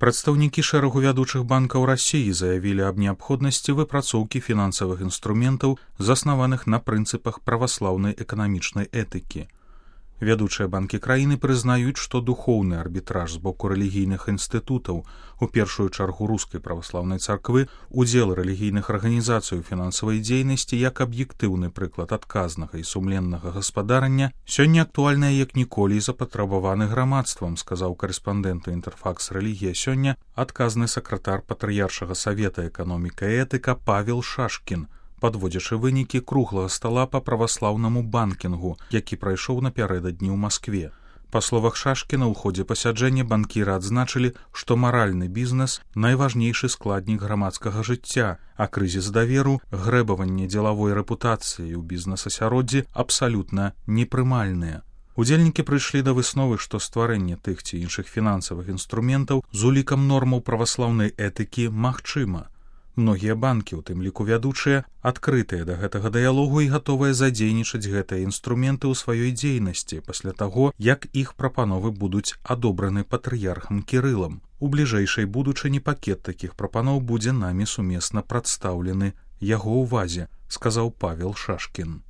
Прадстаўнікі шэрагу вядучых банкаў Расіі заявілі аб неабходнасці выпрацоўкі фінансавых інструментаў, заснаваных на прынцыпах праваслаўнай эканамічнай этыкі. Вядучыя банкі краіны прызнаюць, што духоўны арбітраж з боку рэлігійных інстытутаў, у першую чаргу рускай праваслаўнай царквы, удзел рэлігійных арганізацый у фінансавай дзейнасці як аб'ектыўны прыклад адказнага і сумленнага гаспадарання, сёння актуальнае як ніколі і запатрабаваны грамадствам, сказаў карэспандэнту Інтэрфакс Рэлігія сёння адказны сакратар патрыяршага савета эканоміка і этыка Павел Шашкін, падводзячы вынікі круглага стала па праваслаўнаму банкінгу, які прайшоў напярэдадні ў Маскве. Па словах Шашкіна, ў ходзе пасяджэння банкіры адзначылі, што маральны бізнес – найважнейшы складнік грамадскага жыцця, а крызіс даверу, грэбаванне дзелавой рэпутацыі ў бізнес-асяроддзі абсалютна непрымальныя. Удзельнікі прыйшлі да высновы, што стварэнне тых ці іншых фінансавых інструментаў з улікам нормаў праваслаўнай этыкі магчыма. Многія банкі, у тым ліку вядучыя, адкрытыя да гэтага дыялогу і гатовыя задзейнічаць гэтыя інструменты ў сваёй дзейнасці пасля таго, як іх прапановы будуць адобраны патрыярхам Кірылам. У бліжэйшай будучыні пакет такіх прапаноў будзе намі сумесна прадстаўлены яго ўвазе, сказаў Павел Шашкін.